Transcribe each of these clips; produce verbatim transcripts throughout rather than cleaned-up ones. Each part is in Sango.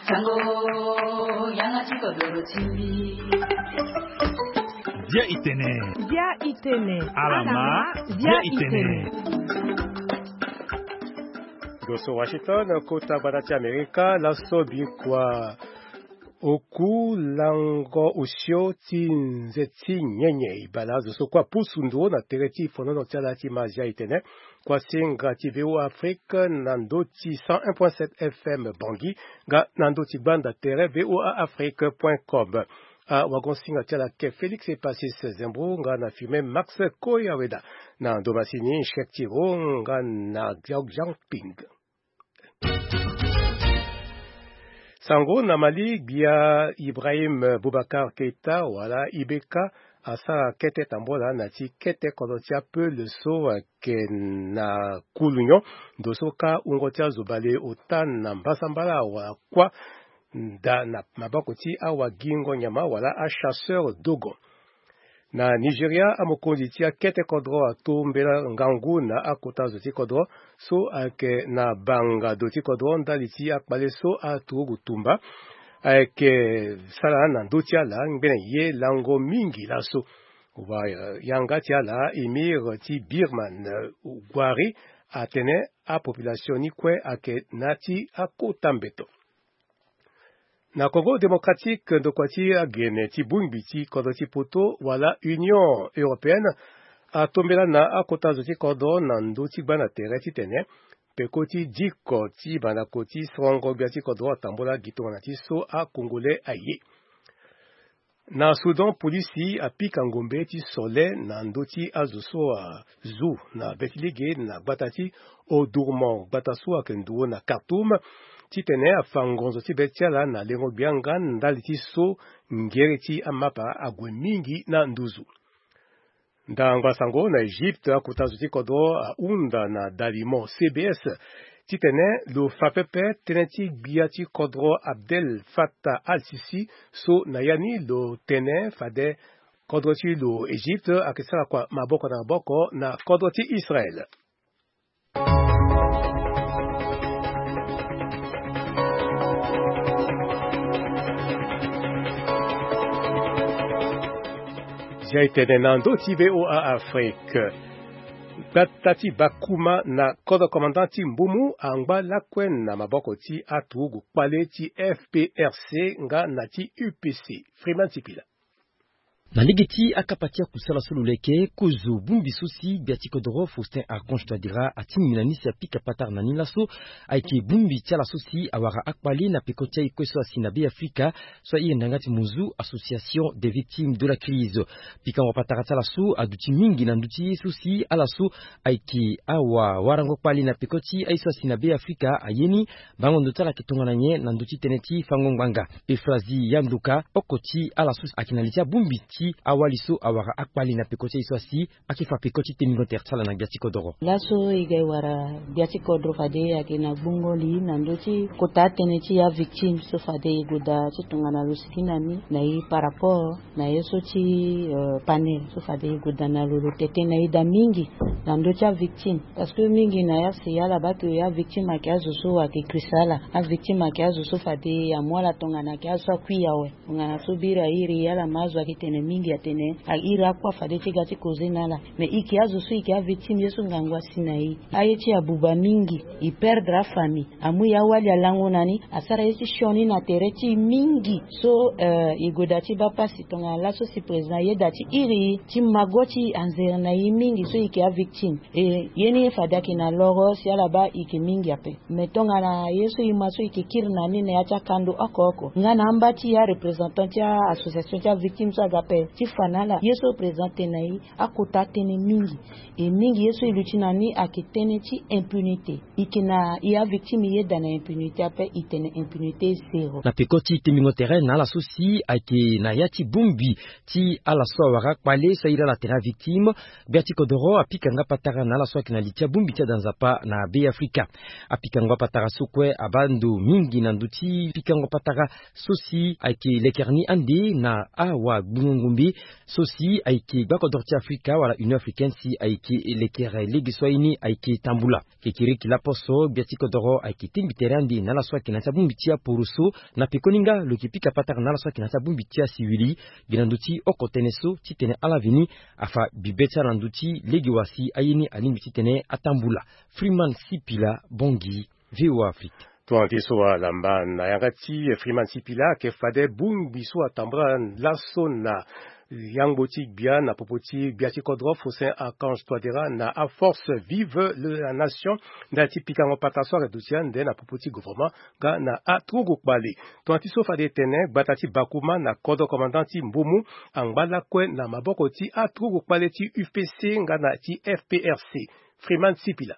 Sango, yanga ti kodoro ti mbi. Dia itene. Dia itene. Alama. Dia itene. Ndo so Washington, kota gbata ti Amerika, laso bikua oku lango osio ti nze ti nyenye. E bale azo so kue apusu nduru na tere ti fonono ti ala ti ma Dia itene. Kua singa ti V O A Afrique na ndo ti cent un point sept F M Bangui, nga na ndo ti gbanda tere V O A Afrique point com. Awagon singa ti ala ke Félix Epasis Zembro, nga na firme Max Koyaweda. Na ndo masini chèque ti ro, nga na Xiao Jiangping. Sango na Mali, gbia Ibrahim Boubacar Keita wala I B K asara kete tambola na ti kete kodro ti apeul so ayeke na Koulounion. Ndo so ka wungo ti azo bale ota na mbasambala wala kuâ nda na maboko ti awagingo nyama wala achasseur dogon. Na Nigeria, amokonzi ti akete kodro atombela ngangu na akota zo ti kodro so ayeke na banga do ti kodro ndali ti akpale so aturugu tumba ayeke sara na ndö ti ala ngbene ye lango mingi laso. Wa, eh, yanga ti ala, émir ti Birman, eh, Gwari, atene apopulation ni kue ayeke na ti akota mbeto. Na Congo Démocratique, ndokua ti agene ti bongbi ti kodro ti poto wala Union Européenne atombela na akota zo ti kodro na ndö ti gba na tere titene peko ti diko ti bandako ti sorongo gbia ti kodro atambola gi tongana ti so a-Congolais aye. Na Soudan, polisi apika ngombe ti sole na ndö ti azo so azu na be ti lege na gbata ti Omdurman, gbata so ayeke nduru na Khartoum, titene afa ngonzo ti be ti ala na lengo gbia nga ndali ti so ngere ti amapa ague mingi na nduzu. Ndangba sango na Egypte, akota zo ti kodro ahunda na dalimo C B S titene lo fa pepe tënë ti gbia ti kodro Abdel Fattah al-Sisi, so na ya ni lo tene fade kodro ti lo Egypte ayeke sara kua maboko na maboko na kodro ti Israel. Zia e tene na ndö ti V O A Afrique. Gbata ti Bakuma na kodro commandant ti Mbumu angba lakue na maboko ti aturugu kpale ti F P R C nga na ti U P C. Freeman Sipila. Na lege ti akapa ti akusala so lo leke kozo bongbi so si gbia ti kodoro Faustin Archange Touadéra atingbi na ni si apika patara na ni laso, ayeke bongbi ti ala so si awara akpale na peko ti aye kue so asi na Be Afrika, so aye nda nga ti Muzu, Association des Victimes de la Crise. Pikango patara ti ala so aduti mingi na nduti ye so si ala so ayeke awawarango kpale na peko ti aye so asi na Be Afrika aye ni. Bango ndo ti ala ayeke tongana nyen na ndö ti tënë ti fango ngbanga? Euphrasie Yanduka, oko ti ala so ayeke na li ti abongbi ti awali so awara akpale na peko ti aye so asi, ayeke fa peko ti tembingo tere ti ala na gbia ti kodoro. Laso e ga e wara gbia ti kodoro fade ayeke na gbungo li na ndö ti kota atënë ti avictime so fade e gue daa ti tongana lo sigi na ni na e par rapport na ye so ti, euh, panel so fade e gue daa na lo, lo tete na e daa mingi na ndö ti avictime. Parce que mingi na ya si ala baa ke avictime ayeke azo so ayeke krisa ala. Avictime ayeke azo so fade amu ala tongana ayeke azo so akui awe. Tongana so biri airi ala ma azo ayeke tene mingi atene airi akua fade ti ga ti koze na ala. Mais e yeke azo so e yeke avictime ye so ngangu asi na e. Aye ti e abuba mingi, e perdre afamille. Amu e awali alango na ni, asara ye ti sioni na tere ti e mingi. So, euh, e gue daa ti baa pasi tongana laso si président ayeda ti iri e, ti mago ti e anzere na e mingi so e yeke avictime. E ye ni fade ayeke na loro si ala baa e yeke mingi ape. Mais tongana ye so e ma so e yeke kiri na ni na ya ti akando oko oko nga na amba ti e areprésentant ti a-association ti avictime so aga ape ti fa na ala ye so président atene na e, akota atënë mingi. E mingi ye so e luti na ni ayeke tënë ti impunité. E yeke na e avictime e yeda na impunité ape, e tene impunité zéro. Na peko ti tembingo tere na ala so si ayeke na ya ti bongbi ti ala so awara akpale so airi ala atene avictime, gbia ti kodoro apika nga patara na ala so ayeke na li ti abongbi ti ada nzapa na Be Afrika. Apika nga patara so kue abaa ndo mingi na ndö ti pikango patara so si ayeke lekere ni ande na awagbungo ngombe so si ayeke gbakodoro ti Afrika wala Union Africaine si ayeke lekere lege so aye ni ayeke tambula. Kekereke lapo so gbia ti kodoro ayeke tingbi tere ande na ala so ayeke na ya ti abongbi ti aporoso. Na pekoni nga lo yeke pika patara na ala so ayeke na ya ti abongbi ti asiwili gi na ndö ti oko tënë so titene ala veni afa bibe ti ala na ndö ti lege wa si aye ni alingbi titene atambula. Freeman Sipila, Bangui, VOA Afrique. Tongana ti so alamba na yanga ti Freeman Sipila ayeke fade bongbi so atambula laso na yangbo ti gbia na popo ti gbia ti kodro Faustin Archange Touadéra na aforce Vive la Nation. Ndali ti pikango patara so ayeke duti ande na popo ti gouvernement nga na aturugu kpale. Tongana ti so fade e tene gbata ti Bakouma na kodro commandant ti Mbomou angba lakue na maboko ti aturugu kpale ti U P C nga na ti F P R C. Freeman Sipila.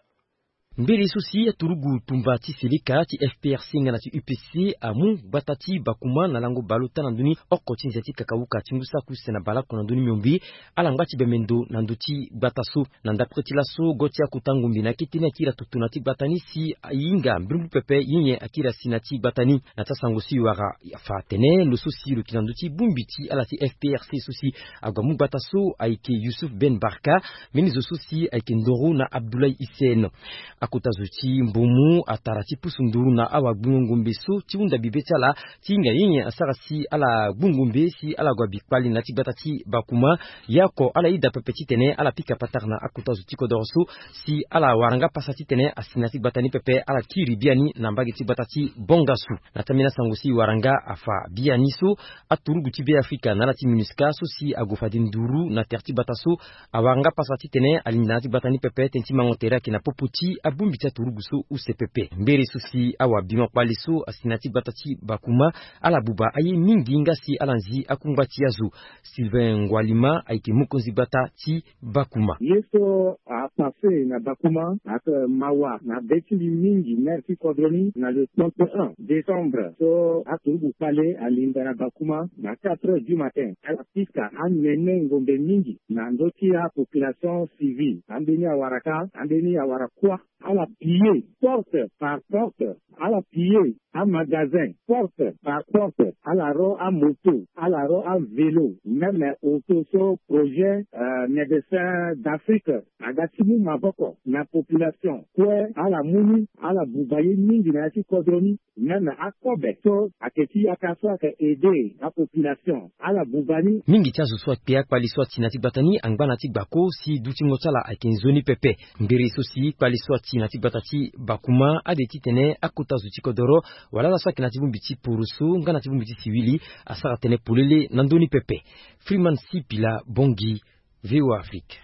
Mbele so si aturugu tumba ti seleka ti F P R C nga na ti U P C amu gbata ti Bakouma na lango baleota na ndö ni oko ti nze ti kakawuka ti ngu saki use na baleoko na ndö ni miombe. Ala ngba ti bembe ndo na ndö ti gbata so. Na ndapre ti laso go ti akota ngombe na kete ni akiri atutu na ti gbata ni si ahinga mbrimbri pepe nyen nyen akiri asi na ti gbata ni. Na ti asango so e wara afa atene lo so si lo yeke na ndö ti bongbi ti ala ti F P R C so si ague amu gbata so ayeke Youssouf Ben Barka. Mbeni zo so si ayeke ndoro na Abdoulaye Hissène. Akota zo ti Mbomou atara ti pusu nduru na awagbingo ngombe so ti hunda bibe ti ala ti hinga nyen nyen asara si ala gbu ngombe si ala gue abi kpale na ya ti gbata ti Bakouma. Ye oko ala yeda pepe titene ala pika patara na akota zo ti kodoro so si ala wara nga pasa titene asi na ya ti gbata ni pepe ala kiri biani na mbage ti gbata ti Bongassou. Na ti ambeni asango si e wara nga afa biani so aturugu ti Beafrika na ala ti MINUSCA so si ague fade nduru na tere ti gbata so awara nga pasa titene alingbi na ya ti gbata ni pepe tënë ti mango tere ayeke na popo ti abongbi ti aturugu so use pepe. Mbere so si awabingo kpale so asi na ya ti gbata ti Bakouma ala buba aye mingi nga si ala nzi akungba ti azo. Sylvain Ngwalima ayeke mokonzi gbata ti Bakouma. Ye so apasse na Bakouma ayeke mawa na be ti mbi mingi, maire ti kodro ni, na le trente et un décembre so aturugu kpale alinda na Bakouma na quatre heures du matin, ala pika anene ngombe mingi na ndö ti apopulation civile. Ambeni awara ka, ambeni awara kuâ. Ala piller porte par porte, ala piller amagasin porte par porte, ala ro amoto, ala ro avélo, même auto so projet, euh, Médecins d'Afrique aga ti mu maboko na population kue. Ala mu ni, ala buba ye mingi na ya ti kodro ni. Même akobe so ayeke ti yaka so ayeke aider apopulation, ala buba ni. Mingi ti azo so akpe akpale so ati na ya ti gbata ni angba na ya ti gbako si dutingo ti ala ayeke nzoni pepe. Mbere so si kpale so ati na ya ti gbata ti Bakouma ade titene akota zo ti kodoro wala ala so ayeke na ya ti bongbi ti poroso nga na ya ti bongbi ti siwili asara tënë polele na ndö ni pepe. Freeman Sipila, Bangui, VOA Afrique.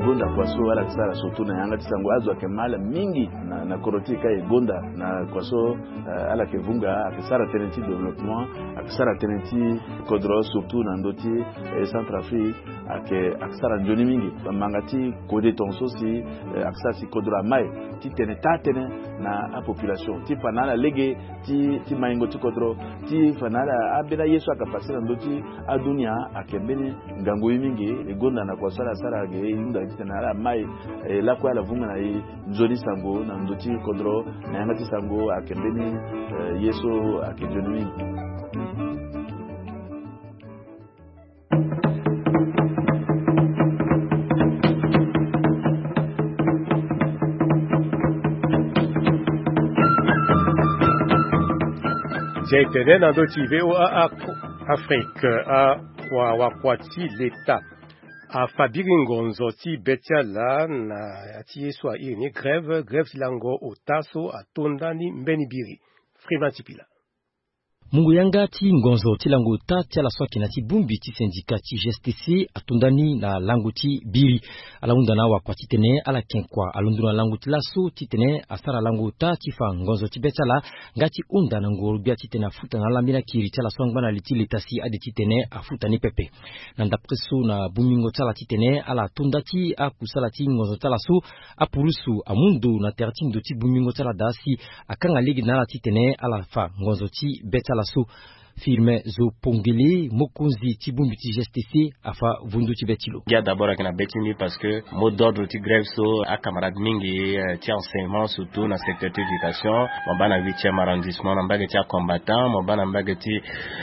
E gonda kua so ala yeke sara surtout na yanga ti sango, azo ayeke ma ala mingi na, na kodro ti e ka. E gonda na kua so, eh, ala yeke vunga, ayeke sara tënë ti développement, ayeke sara tënë ti kodro surtout na ndö ti, eh, Centrafrique, ayeke, ayeke sara nzoni mingi. Bamanga ti kode tongaso si, eh, ayeke sara si kodro amai titene taa tënë na apopulation ti fa na ala lege ti, ti maingo ti kodro, ti fa na ala ambeni aye so ayeke passe na ndö ti adunia. Ayeke mbeni ngangu ye mingi. E gonda na kua so ala sara ge, e hunda titene ala mai, eh, lakue ala vunga na e nzoni sango na ndö ti kodro na yanga ti sango. Ayeke mbeni, eh, ye so ayeke nzoni mingi. Nze tene na ndö ti VOA Afrique, a, wa, wakua ti leta afa biri ngonzo ti be ti ala na ya ti ye so airi ni grève, grève ti lango ota so atonda ni mbeni biri. Freeman Sipila. Mungo yanga ti ngonzo ti lango ota ti ala so ayeke na ya ti bongbi ti syndicat ti G S T C atonda ni na lango ti biri. Ala hunda na awakua titene ala yeke kua alondo na lango ti laso titene asara lango ota ti fa ngonzo ti be ti ala nga ti hunda na ngoro-gbia titene afuta na ala mbeni akiri ti ala so angba na li ti leta si ade titene afuta ni pepe. Na ndapre so na bongbingo ti ala titene ala tonda ti akusala ti ngonzo ti ala so, apurusu amu ndo na tere ti ndo ti bongbingo ti ala daa si akanga lege na ala titene ala fa ngonzo ti be ti ala so. Firmin Zo Pongele, mokonzi ti bongbi ti G S T C, afa vundu ti be ti lo. Ngia d'abord ayeke na be ti mbi parce que mot d'ordre ti grève so, acamarade mingi, eh, ti enseignement, surtout na secteur ti éducation, mo baa na huitième arrondissement na mbage ti acombattant, mo baa na mbage ti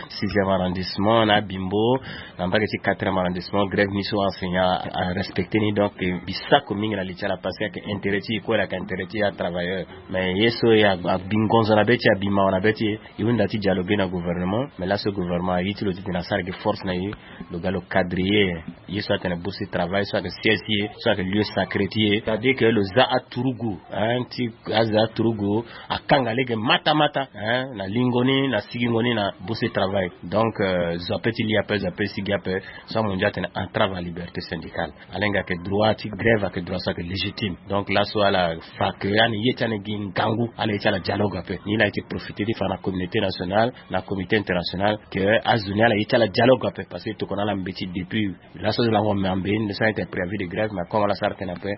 sixième arrondissement na abimbo, na mbage ti quatrième arrondissement, grève ni so enseignant arespecte ni. Donc, eh, mbi sako mingi na li ti ala parce que ayeke intérêt ti e kue, ayeke intérêt ti atravailleur. Mais ye so e abi ngonzo na be ti e, abi mawa na be ti e, e hunda ti dialoguer na gouvernement. Mais laso gouvernement aye ti lo titene asara gi force na e, lo ga lo cadrer ye. Ye so atene bourse ti travail, so ayeke siège ti e, so ayeke lieu sacré ti e, c'est-à-dire que lo za aturugu, hein, ti aza aturugu, akanga lege mata mata, hein, na lingo ni, na sigingo ni na bourse ti travail. Donc, euh, zo ape ti li ape, zo ape ti sigi ape, so amondia atene entrave à liberté syndicale. Ala hinga ayeke droit ti grève, ayeke droit so ayeke légitime. Donc laso ala fa que ani ye ti ani gi ngangu, ala ye ti ala dialogue ape. Ni laa e ti profiter ti fa na communauté nationale, na comité international, que azo ni ala ye ti ala dialogue ape, parce que e tokua na ala mbeti depuis laso lango me ambe ni so ayeke préavis de grève, mais comme ala sara tënë ape,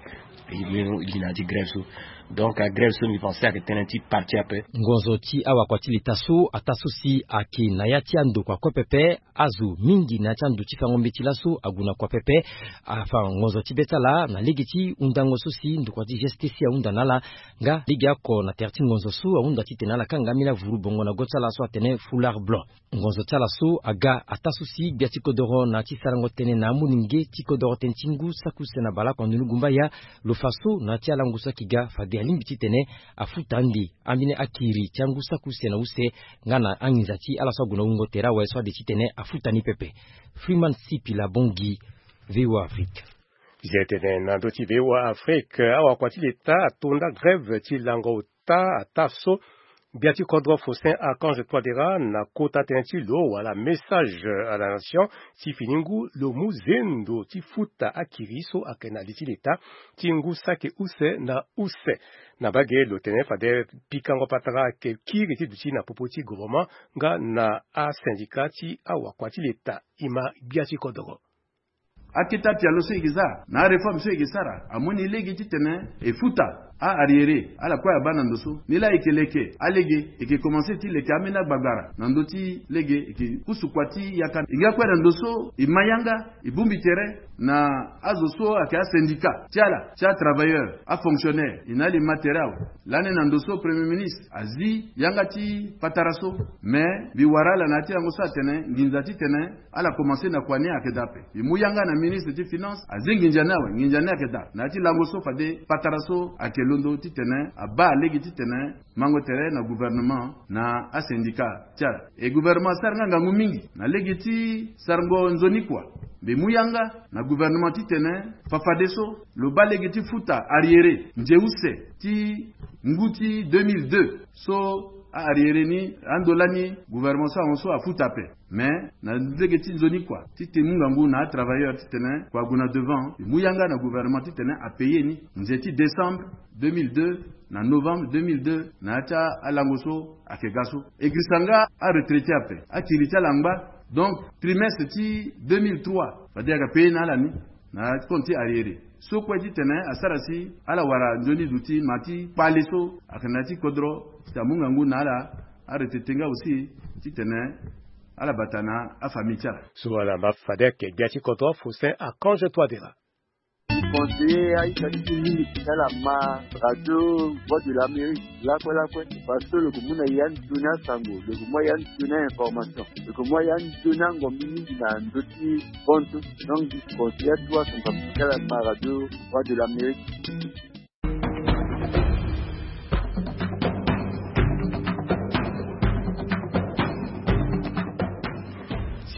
e li na ya ti grève so. Donc agrève so mbi pense ayeke tënë ti parti ape. Ngonzo ti awakua ti leta so ataa so si ayeke na ya ti andokua kue pepe. Azo mingi na ya ti ando ti fango mbeti laso ague na kua pepe. Afa ngonzo ti be ti ala na lege ti hundango so si ndokua ti G S T C ahunda na ala. Nga lege oko na tere ti ngonzo so ahunda titene ala kanga ambeni avuru bongo na go ti ala so atene foulard blanc. Ngonzo ti ala so aga ataa so si gbia ti kodoro na ya ti sarango tënë na amolenge ti kodoro tënë ti ngu saki use na baleoko na ndoni gumbaya, lo fa so na ya ti alango so ayeke ga fade alingbi titene afuta ande ambeni akiri ti angu saki use na use, nga na anginza ti ala so ague na wungo tere awe so ade titene afuta ni pepe. Freeman Sipila Bongi, V O A Afrique. Zia tene na ndö ti V O A Afrique, awakua ti leta atonda grève ti lango ota ataa so gbia ti kodro Faustin Archange Touadéra na kota tënë ti lo wala message à la nation ti fini ngu lo mu zendo ti futa akiri so ayeke na li ti leta ti ngu saki use na use. Na mbage lo tene fade pikango patara ayeke kiri ti duti na popo ti gouvernement nga na asyndicat ti awakua ti leta. E ma gbia ti kodoro. Akete apialo so e yeke za na aréforme so e yeke sara amoni lege titene e futa a-arriéré ala kue abaa na ndo so. Ni laa e yeke leke alege, e yeke komanse ti leke ambeni agbagara na ndö ti lege e yeke pusu kua ti yaka. E nga kue na ndo so e ma yanga, e bongbi tere na azo so ayeke asyndicat ti ala ti atravailleur, afonctionnaire, e na ala e ma tere awe. Lani na ndo so Premier ministre azi yanga ti patara so. Mais mbi wara ala na ya ti yango so atene nginza titene ala komanse na kua ni ayeke daa ape. E mu yanga na ministre ti finance azi nginza ni awe, nginza ni ayeke daa. Na ya ti lango so fade patara so ayeke londo titene abaa lege titene mango tere na gouvernement na asyndicat ti ala. E gouvernement asara nga ngangu mingi na lege ti sarango nzoni kua. Mbi mu yanga na gouvernement titene fafadeso lo baa lege ti futa arriéré nze use ti ngu ti deux mille deux so a-arriéré ni ando lani gouvernement so ahon so afuta ape. Mais na lege ti nzoni kua ti te mu ngangu na atravailleur titene kua gue na devant. Mbi mu yanga na gouvernement titene apaye ni nze ti décembre deux mille deux na novembre deux mille deux na ya ti alango so ayeke ga so. E girisa nga aretraité ape, akiri ti ala angba. Donc trimestre ti deux mille trois fade ayeke apaye na ala ni na compte ti arriéré so kue titene asara si ala wara nzoni duti ma ti kpale so ayeke na ya ti kodro titene amu ngangu na ala. Aretraité nga aussi titene ala bata na afamille ti ala. So ala ma fade ayeke gbia ti kodro Faustin Archange Touadéra. Conseiller aita ti mingi ti ala ma radio Voix de l'Amérique lakue lakue, parce que lo yeke mu na ya nzoni asango, lo yeke mu ya nzoni information, lo yeke mu ya nzoni angombi mingi na ndö ti bontu. Donc mbi conseiller atu asango ti ala ma radio Voix de l'Amérique.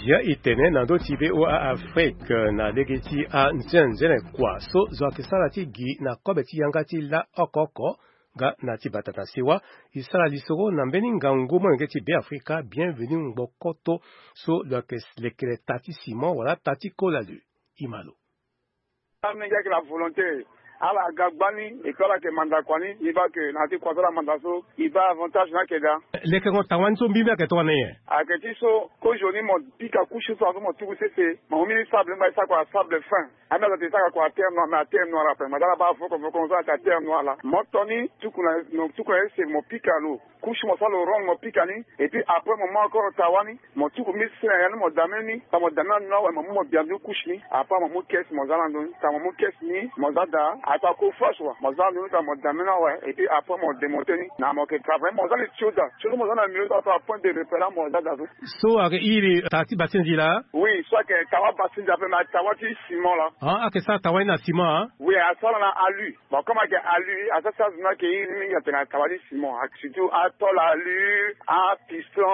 Zia e tene na ndö ti V O A Afrique na lege ti anzenenzene kua so zo ayeke sara ti gi na kobe ti yanga ti la oko oko. Nga na ti bata na sewa e sara lisoro na mbeni ngangu molenge ti Beafrika Bienvenu Ngbokoto so lo yeke lekere ta ti ciment wala ta ti kola lo. E ma lo. Amenge ayeke na volonté. Ala ga gbani et puis ala yeke manda kua ni. Mbi baa ke na ya ti kua so ala manda so e baa avantage ni ayeke daa. Lekengo tanga ni so mbimbi ayeke tongana nyen? Ayeke ti so kozo ni mo pika couche so azo mo tuku sese, mo mu mbeni sable ni ngba e sara kua sable fin. Ambeni azo ate e sara kua terre noire, mais aterre noire ape. Manda ala baa voko voko so ayeke aterre noire laa. Mo to ni tuku na, mo tuku na ese mo pika lo. Couche mo sara lo rond, mo pika ni. Et puis après mo mu encore tawa ni, mo tuku mi si na ya ni, mo dame ni. Tanga mo dame na ni awe, mo mu mo bia ndu couche ni. Après mo mu caisse mo za na ndo ni. Tanga mo mu caisse ni, mo za daa. Ato ako fâche wa, mo za na ndo ni, tanga mo dame ni awe. Et puis après mo démonter ni. Na mo yeke travailler, mo za ni tio daa. Tio so mo za na milieu so, ato apoint de repère, mo za daa so. So ayeke iri taa ti basinzi laa? Oui, so ayeke tawa basinzi ape, mais tawa ti ciment laa. Ah, ayeke sara tawa ni na ciment, ah? Oui, asara na alu. Bon, comme ayeke alu, asara ti azo ni ayeke iri mingi atene na tawa ti ciment. Surtout atôle alu, apiston,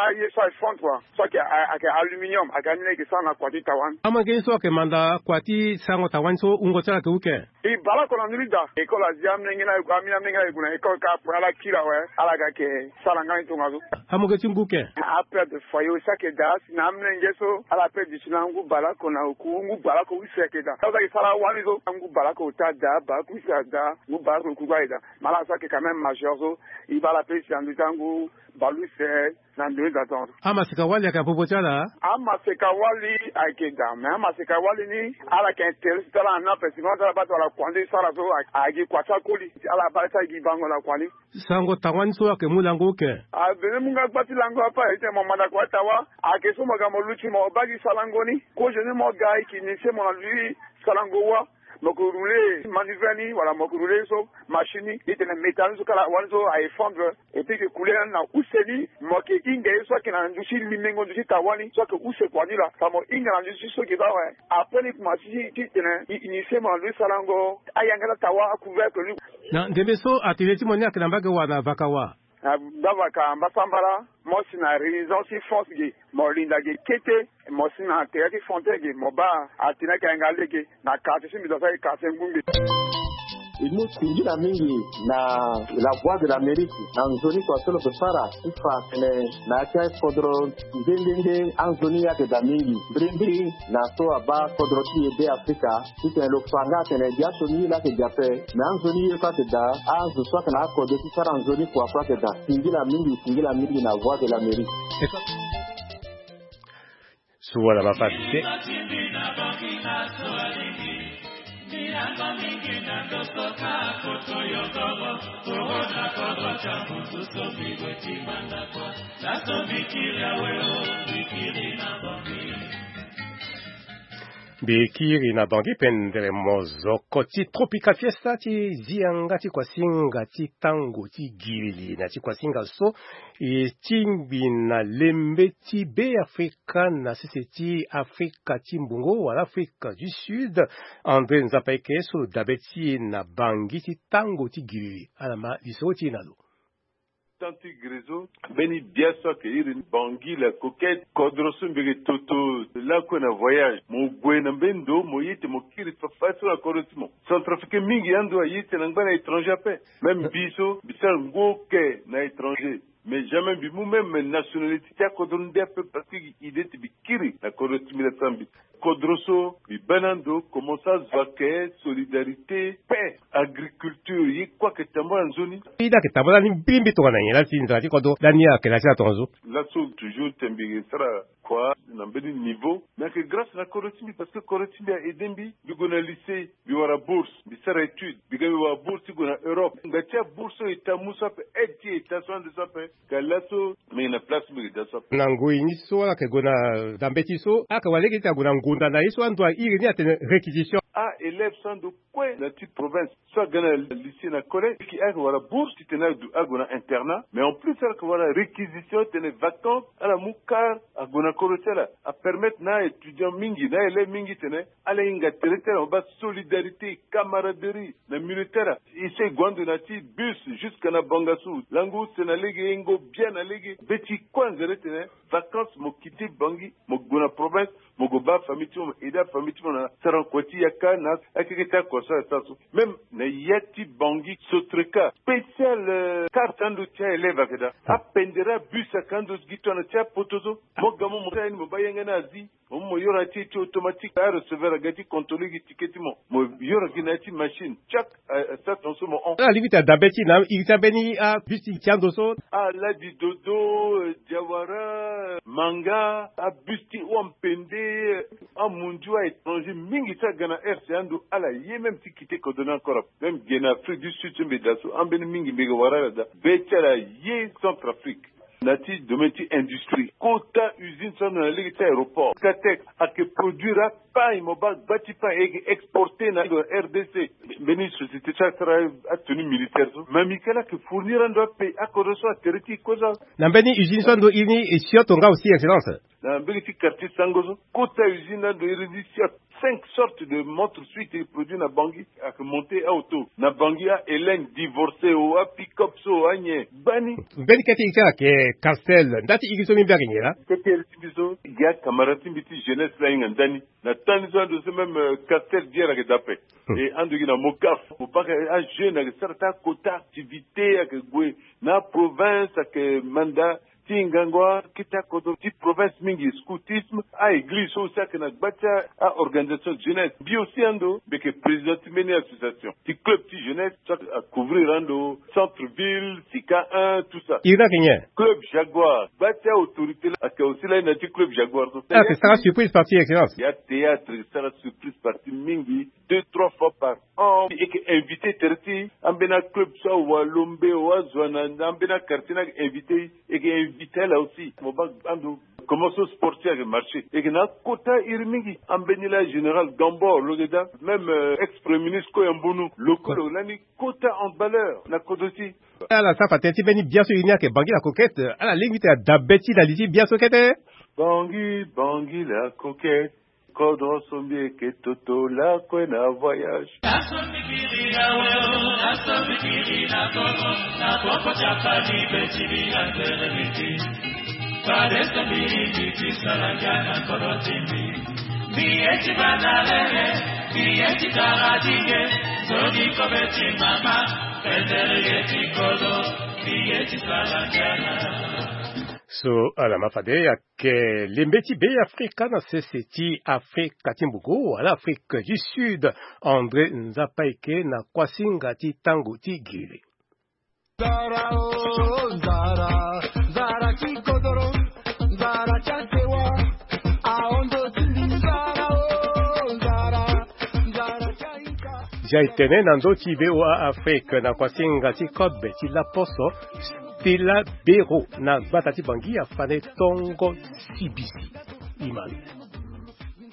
aye so aye fondre quoi. So ayeke, ayeke aluminium, ayeke ani ni ayeke sara na kua ti tawa ni. Amange ni so ayeke manda kua ti sarango tawa ni so, wungo ti ala ayeke uke? E bale oko na ndö ni daa. École azi amolenge ni aye gue, amolenge ni aye gue na école kâ, après ala kiri awe, ala ga yeke sara nga ni tongaso. Amoge ti ngu ke? Apère de foyer aussi ayeke daa, si na amolenge so ala père duti na ngu bale oko na oku, ngu bale oko use ayeke daa. Ala za yeke sara wani so, ngu bale oko ota daa, bale oko use adaa, ngu bale oko oku kue aye daa. Mais ala so ayeke quand même majeur so, e bale ape si na ndö ti angu bale use. Na ndö ni daa tongaso. Amaseka wali ayeke na popo ti ala? Amaseka wali ayeke daa, mais amaseka wali ni ala yeke intérêt ti ala na ape, si mo ala baa ti wala kua ni sara so, a, ayeke gi kua ti akoli, ala baa ti ayeke gi bango na kua ni. Sarango tawa ni so ayeke mu lango uke? Aveni mu nga gba ti lango ape, aye ti tene mo manda kua ti tawa, ayeke so mo ga mo luti mo baa gi sarango ni. Kozo ni mo ga e yeke initier mo na ndö ti sarango wa. Mo yeke rouler manivelle ni, wala mo yeke rouler so machine ni, e tene métal ni so kala wani so aye fondre. Et puis e yeke coulé na use ni, mo yeke hinga ye so ayeke na ndö ti limengo ndö ti tawa ni, so ayeke use kua ni laa. Fa mo hinga na ndö ti so ge baa awe. Après ni kuma ti, ti tene e initier mo na ndö ti sarango ayanga ti atawa, acouvercle ni. Na ndembe so atelier ti mo ni ayeke na mbage wa na vaka wa? Na gbavaka mbasambala, mo si na résidence ti force ge, mo linda ge kete, mo si na tere ti fontaine ge, mo baa atene ayeke yanga lege na quartier ti mbi, donc ayeke quartier Ngungbe. E mu singila mingi na La Voix de l'Amérique na nzoni kua so lo yeke sara ti fa atene na ya ti akodro nde nde nde anzoni ayeke daa mingi. Mbirimbiri na so abaa kodro ti e Be Afrika, titene lo fa nga atene gi aso ni ye laa ayeke gi ape, me anzoni ye kue ayeke daa, azo so ayeke na akodro ti sara nzoni kua kue ayeke daa. Singila mingi, singila mingi na Voix de l'Amérique. Suwa na mapasi te. Mbi kiri na Bangui pendere mozoko ti Tropical Fiesta ti zi yanga ti kuasinga ti tango ti gilili na ti kuasinga so e tingbi na lembe ti Be Afrika na sese ti Afrika ti mbongo wala Afrika du Sud. André Nzapa Eke so lo dabe ti e na Bangui ti tango ti gilili, ala ma lisoro ti e na lo. Tant ti Grézo, mbeni bia so ayeke iri ni Bangui la Coquette, kodro so mbi yeke toto lakue na voyage. Mo gue na mbeni ndo, mo ye ti mo kiri fafadeso na kodro ti mo. Centrafricain mingi ando aye ti tene angba na étranger ape. Même mbi so, mbi sara ngu oke na étranger. Mais jamais mbi mu même nationalité ti akodro nde ape parce que idée ti mbi kiri na kodro ti mbi la sara mbi. Kodro so mbi baa na ando, commence azo ayeke solidarité, paix, agriculture, ye kue ayeke tambula nzoni. Ida ayeke tambula ni mbirimbiri tongana nyen laa ti nzara ti kodro lani ayeke na ti la tongaso? Laso toujours ti mbi sara kua na mbeni niveau, mais ayeke grâce na kodro ti mbi parce que kodro ti mbi a aidé mbi, mbi gue na lycée, mbi wara bourse, mbi sara étude, mbi ga mbi wara bourse ti gue na Europe. Ngba ti abourse so e ta mu so ape, aide ti e ta so ande so ape. Ka laso mbi yeke na place mbi yeke daa so ape. Na ngoi ni so ala yeke gue na dambe ti so, ala yeke wara lege ti ague na ngonda na ye so ando airi ni atene réquisition. A-élève so ando kue na ti province so aga na lycée na collège, ayeke wara bourse titene ague na internat, mais en plus ala yeke wara réquisition titene vacances ala mu car ague na kodro ti ala. Apermettre na a-étudiant mingi, na a-élève mingi titene ala hinga tere ti ala, mo baa solidarité, camaraderie na milieu ti ala. E so e gue ando na ya ti bus jusque na Bangassou, lango use na lege, yengo bia na lege. Be ti kue anzere titene vacances mo quitter Bangui, mo gue na province, mo gue baa famille ti mo, mo aider afamille ti mo na sarango kua ti yaka na akeke ti akua so ala sara so. Même na ya ti Bangui, Sotreka, spécial, euh, carte ando ti a-élève ayeke daa. Apendere abus ayeke ando gi tongana ti apoto so. Mo ga mo, mo sara ye ni, mo baa yanga ni azi. Mo, mo yoro na ya ti, ti automatique, areceveur aga ti contrôler gi ticket ti mo. Mo yoro gi na ya ti machine. Tchak, euh, euh, sara tongaso mo hon. Ala lingbi ti dabe ti e na iri ti ambeni abus ti ando so. Ala di Dodo, euh, Diawara, euh, Manga, abus ti hon, Mpende, euh, amundu, a-étranger mingi ti aga na Ando ala ye même ti kite kodro ni encore, même gi na Afrique du Sud so mbi daa so ambeni mingi mbi yeke wara ala daa. Be ti ala ye Centrafrique na ti domaine ti industrie, kota usine so ando na lege ti aéroport Katek ayeke produire apagne, mo baa gba ti pagne e yeke exporte na R D C. Mbeni société so asara atenue militaire so, Mamicale ayeke fournir ando apagne akodro so atere ti e kue so. Na mbeni usine so ando iri ni e sioto nga aussi, excellence. Na mbeni ti quartier Sango so, kota usine ando iri ni sioto cinq sortes de montres suite e produit na Bangui. Ayeke monte aoto na Bangui, a Hélène divorcé o, a pick-up so, anyen gbani. Mbeni kete iri ti ala ayeke Castel, nda ti iri so mbi mbi ayeke nyen laa? Kete iri ti mbi so gi acamarade ti mbi ti jeunesse la ahinga ndani. Na temps ni so ando so même, euh, Castel bière ayeke daa ape. E ando gi na Mocaf, mo baa ajeune ayeke sara ti akota activité, ayeke gue na province, ayeke manda ti ngangu akete akodro ti province mingi, scoutisme, a-église so aussi ayeke na gba ti a-organisation jeunesse. Mbi aussi ando mbi yeke président ti mbeni association ti club ti jeunesse so acouvrir ando centre ville, sika un, tout ça. Iri ni ayeke nyen? Club Jaguar, gba ti autorité la ayeke aussi la na ti club Jaguar so. Ayeke sara surprise partie, excellence. Ya théâtre sara surprise partie mingi, deux trois fois par an. E yeke invité tere ti ambeni aclub so awalombe o, azo ana na ambeni aquartier ni ayeke invité. E yeke invité ala aussi. Mo baa ando comment so sport ti e ayeke marché. E yeke na akota iri mingi. Ambeni la général Gambor lo yeke daa, même, euh, ex premier ministre Koya Mbunu lo kue lo lani kota handballeur na kodro ti e. Ala sara fa tënë ti mbeni bia so iri ni ayeke Bangui la Coquette. Ala lingbi ti tene adabe ti na li ti bia so kete. Bangui, Bangui la Coquette. Kodro so mbi yeke toto lakue na voyage. So ala ma fade ayeke lembe ti Be Afrika na sese ti Afrika ti Mbuku wala Afrique du Sud, André Nzapaike na kuasinga ti tango ti giri. Nzara o, nzara, nzara ti kodoro, nzara ti atewa, ahondo ti mbi, nzara o, nzara, nzara ti ahinga. Zia e tene na ndö ti V O A Afrique na kuasinga ti kobe ti laposo, Stella Bero na gbata ti Bangui afande tongo sibisi. Imalo.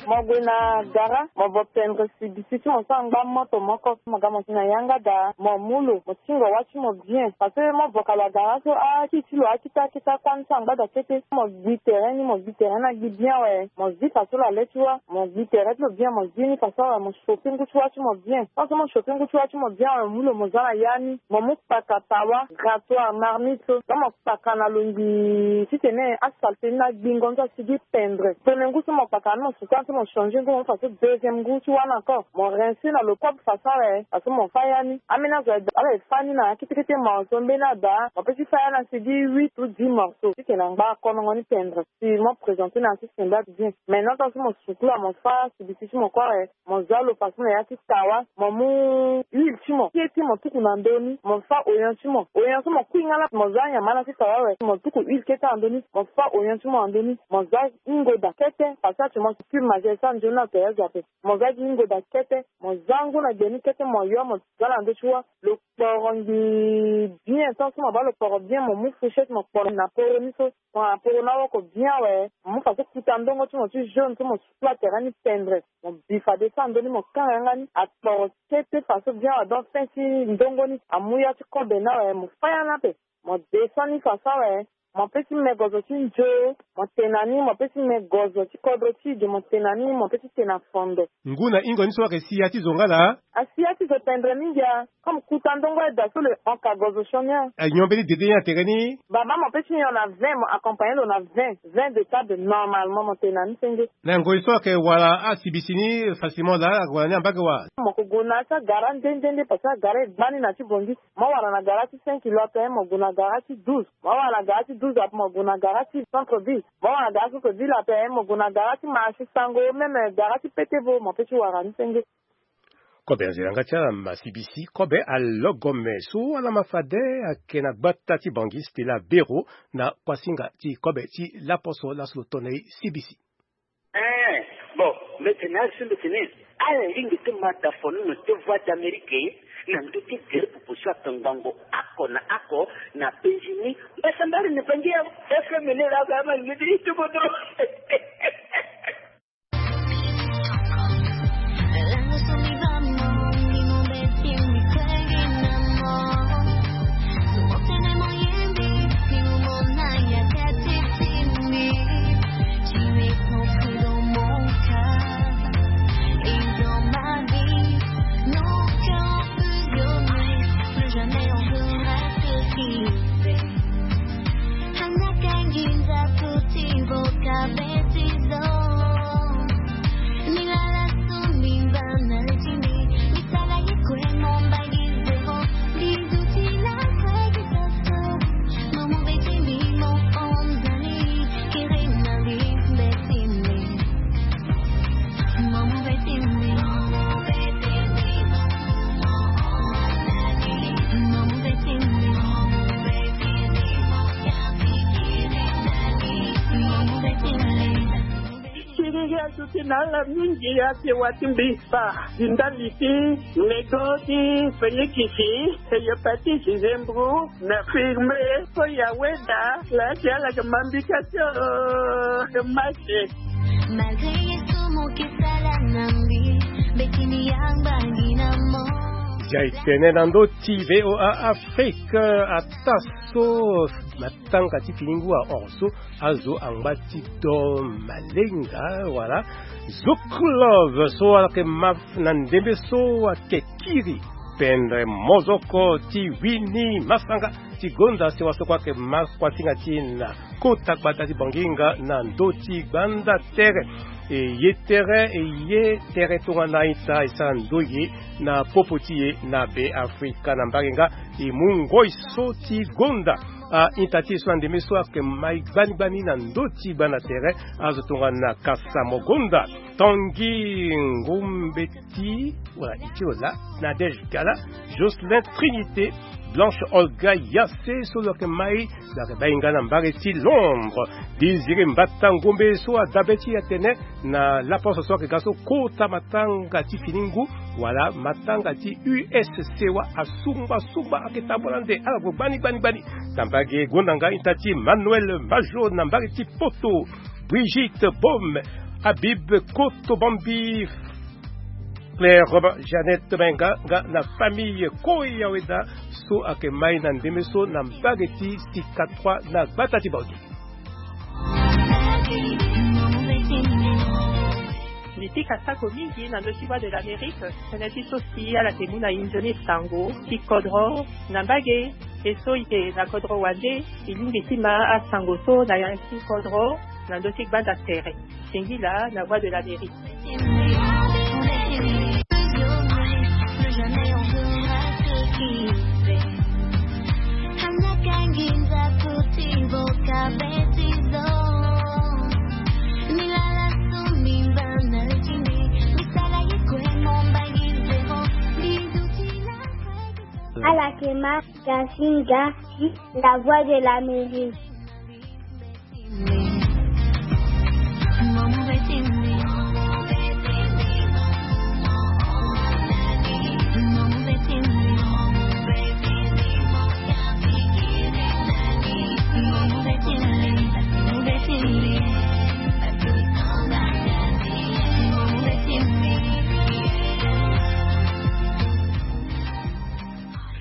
Mo gue na gara, mo vo pendre sibisi ti mo so angba moto moko, mo ga mo si na yanga daa, mo mu lo, mo tingo wâ ti mo bien. Parce que mo vo ka lo agara so, akiti ti lo akita akita kuâ ni so angba daa kete. Mo gbi tere ni, mo gbi tere ni agbi bien awe. Mo zi fa so lo ale ti wâ, mo gbi tere ti lo bien, mo zi ni fa so awe, mo chauffer ngu ti wâ ti mo bien. Tant so mo chauffer ngu ti wâ ti mo bien awe, mo mu lo mo za na ya ni, mo mu kpaka tawa, grattoir, marmite so. Donc mo kpaka na lo ngbii titene asalte ni na agbingo ni so asigi pendre. Premier ngu so mo kpaka ni mo suka ni so mo changer ngu mo mu fa so deuxième ngu ti wâ ni encore. Mo rincer na lo propre façon awe, fa so mo fâ ya ni. Ambeni azo ala e fâ ni na akete kete morceau, mbeni ada mo peut ti fâ ya ni asigi huit ou dix morceaux. Titene angba akonongo ni pendre. Si mo présenter na ya ti sembla bien. Maintenant tant so mo sukula mo fâ sibisi ti mo kue awe, mo za lo fa so na ya ti tawa, mo mu huile ti mo, kete mo tuku na ndö ni, mo fâ oignon ti mo. Oignon so mo kui nga laa, mo za nyama na ti tawa awe, mo tuku huile kete na ndö ni, mo fâ oignon ti mo na ndö ni, mo za hingo daa kete, parce que actuellement cube magère so anzoni na tere azo ape. Mo za gi hingo daa kete, mo za ngu na gbe ni kete, mo yo mo za na ndö ti wâ. Lo kporo ngbii bien, tant so mo baa lo kporo bien, mo mu fourchette mo kporo na poro ni so. Mo na poro ni awoko bien awe, mo mu fa so kuta ndongo ti mo ti jaune so mo sukula tere ni pendre. Mo bi fade so na ndö ni mo kanga yanga ni, akporo kete fa so bien awe, donc fin ti ndongo ni amu ya ti kobe ni awe, mo fâ ya ni ape. Mo descend ni fa so awe, mo peut ti me gozo ti nzio, mo te na ni, mo peut ti me gozo ti kodro ti e, mo te na ni, mo peut ti te na fondo. Ngu na hingo ni so ayeke si ya ti zo nga laa? Asi ya ti zo pendre mingi a. Comme kuta ndongo aye daa so lo hon ka gozo sioni a. Anyon mbeni dede ni na tere ni? Baba mo peut ti nyon na vingt, mo accompagner lo na vingt, vingt de table normalement, mo te na ni senge. Na ngoi so ayeke wara asibisi ni facilement laa, ayeke wara ni na mbage wa? Mo yeke gue na ya ti agara nde nde nde, parce que agara e gba ni na ti Bangui. Mo wara na gara ti cinq kilos ape, mo gue na gara ti douze. Mo wara na gara ti douze ape, mo gue na gara ti centre ville. Mo wara na gara centre ville ape, mo gue na gara ti marché Sango, même gara ti Petebo, mo peut ti wara ni senge. Kobe anzela nga ti ala ma sibisi, kobe alogome so ala ma fade ayeke na gbata ti Bangui Stella Bero na kuasinga ti kobe ti laposo laso lo to na e sibisi. Eh, bon, mbeti ni asi mbeti ni. Ala lingbi ti ma da fonono ti Voix d'Amérique na ndö ti gere pupu so atongbango oko na oko na penzi ni. Mbasambari ni bangi ya F M ni laka ma ngidi ti bodo. Siriri azo ti na ala mingi ake wa ti mbi kpa. Di ndali ti lego ti Felikisi, hepatite zembro na firme so ya weda. Laa ti ala yeke ma mbi ka ti o, yeke ma si. Malgré ye so mo yeke sala na mbi, mbeti mbi yangba ngi na mo. Zia e tene na ndö ti V O A Afrique, ataa so matanga ti fini ngu ahon so azo angba ti do malenga wala. Zouk Love so ayeke ma na ndembe so ayeke kiri pendre mozoko ti wini masanga ti gonda sewa so kue ayeke ma kuasinga ti e na kota gbata ti Banginga na ndö ti gbanda tere. E ye tere, e ye tere tongana ita e sara ndoye na popo ti e na Be Afrika na mbarenga. E mu ngoi so ti gonda a-ita ti e so na ndembe so ayeke mai gbani gbani na ndö ti gbanda tere. Azo tongana Kasa Mogonda, Tanguy Ngombeti, wala e ti lo laa, Nadège Gala, Jocelyn Trinité, Blanche Olga Yassé so lo yeke mai, lo yeke bai nga na mbage ti Londres. Désiré Mbata Ngombe so adabe ti e atene na laposo so ayeke ga so kota matanga ti fini ngu wala matanga ti U S C wa asungba sungba ayeke tambula nde ala gue gbani gbani gbani. Na mbage gonda nga ita ti Manuel Majo na mbage ti Poto, Brigitte Baume, Habib Koto Bambi, Claire Jeannette Menga nga na famille Koya Weda so ayeke mai na ndembe so na mbage ti Sika trois na gbata ti Bangi. Mbi pika sako mingi na ndö ti Voix de l'Amérique, tënë ti so si ala yeke mu na e nzoni sango ti kodro na mbage. E so e yeke na kodro wande, e lingbi ti ma asango so na ya ti kodro na ndö ti gbanda tere. Singila na Voix de l'Amérique. Ala yeke ma Kasinga, la Voix de l'Amérique.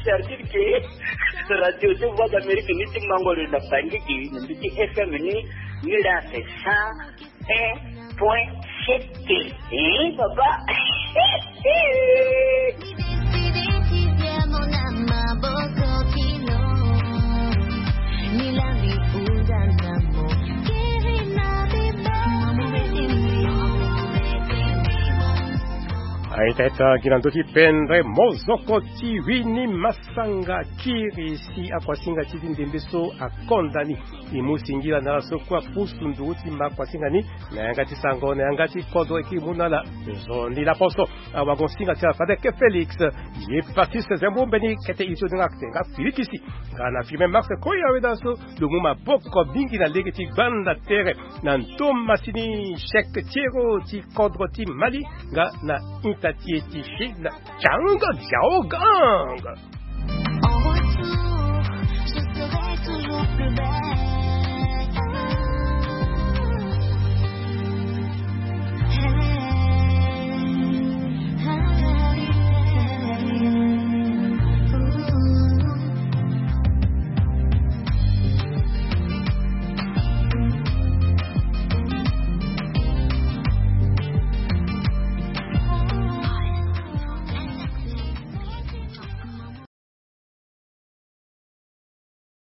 Servir ke radio ti Voix d'Amérique ni ti mango lo na Bangui, na mbi ti F M ni, ni la c'est cent un point sept. Eh, papa. A Teta gi na ndö ti pendre mozoko ti wini masanga kiri si akuasinga ti ti ndembe so akonda ni. E mu singila na ala so kue apusu nduru ti ma akuasinga ni na yanga ti sango na yanga ti kodro e kiri mu na ala. Nzoni laposo awago singa ti ala fadeke Félix. Ye Baptiste Zembo mbeni kete ito ni nga kete nga filikisi. Nga na firme Max Koya weda so lo mu maboko mingi na lege ti gbanda tere na ndo masini chèque tiero ti kodro ti Mali nga na inta ti e ti Chine. Chang Xiaogang.